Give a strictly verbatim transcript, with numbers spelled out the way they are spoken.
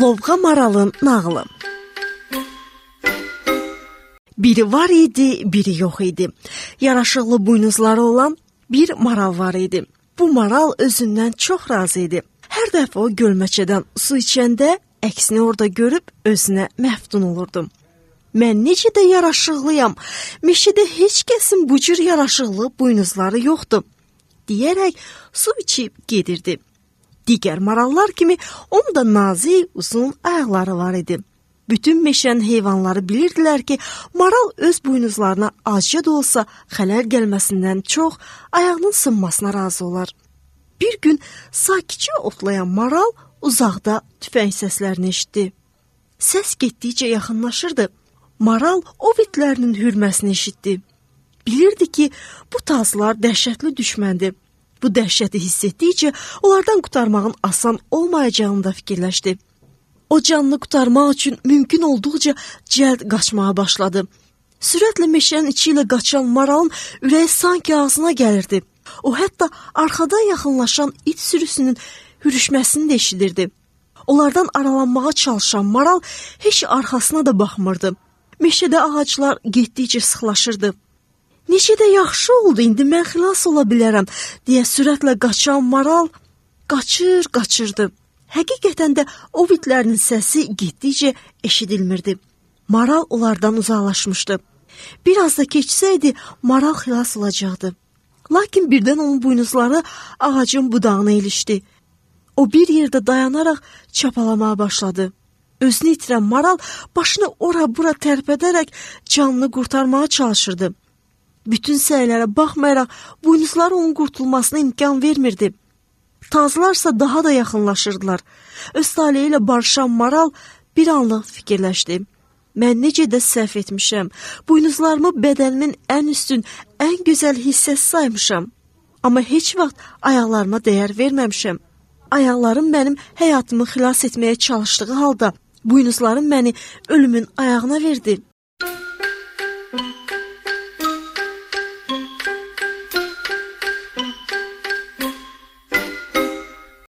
Lovğa maralın nağılı. Biri var idi, biri yox idi. Yaraşıqlı buynuzları olan bir maral var idi. Bu maral özündən çox razı idi. Hər dəfə o gölməçədən su içəndə əksini orada görüb özünə məftun olurdu. Mən necə də yaraşıqlıyam, meşədə heç kəsin bu cür yaraşıqlı buynuzları yoxdur, deyərək su içib gedirdi. Digər marallar kimi onun da nazik, uzun ayaqları var idi. Bütün meşənin heyvanları bilirdilər ki, maral öz buynuzlarına azca da olsa xələl gəlməsindən çox ayağının sınmasına razı olar. Bir gün sakitcə otlayan maral uzaqda tüfəng səslərini eşitdi. Səs getdikcə yaxınlaşırdı. Maral o bitlərinin hürməsini eşitdi. Bilirdi ki, bu tazlar dəhşətli düşməndir. Bu dəhşəti hiss etdikcə onlardan qurtarmağın asan olmayacağını da fikirləşdi. O canını qurtarmaq üçün mümkün olduqca cəld qaçmağa başladı. Sürətlə meşənin içi ilə qaçan maralın ürəyi sanki ağzına gəlirdi. O hətta arxadan yaxınlaşan it sürüsünün hürüşməsini də eşidirdi. Onlardan aralanmağa çalışan maral heç arxasına da baxmırdı. Meşədə ağaclar getdikcə sıxlaşırdı. Necə də yaxşı oldu, indi mən xilas ola bilərəm, deyə sürətlə qaçan maral qaçır, qaçırdı. Həqiqətən də o bitlərinin səsi getdikcə eşidilmirdi. Maral onlardan uzaqlaşmışdı. Biraz da keçsəydi, maral xilas olacaqdı. Lakin birdən onun buynuzları ağacın budağına ilişdi. O bir yerdə dayanaraq çapalamağa başladı. Özünü itirən maral başını ora-bura tərpədərək canını qurtarmağa çalışırdı. Bütün səylərə baxmayaraq buynuzları onun qurtulmasına imkan vermirdi. Tazlarsa daha da yaxınlaşırdılar. Öz taleyi ilə barışan maral bir anlıq fikirləşdi. Mən necə də səhv etmişəm. Buynuzlarımı bədənimin ən üstün, ən gözəl hissəsi saymışam. Amma heç vaxt ayaqlarıma dəyər verməmişəm. Ayaqlarım mənim həyatımı xilas etməyə çalışdığı halda buynuzlarım məni ölümün ayağına verdi.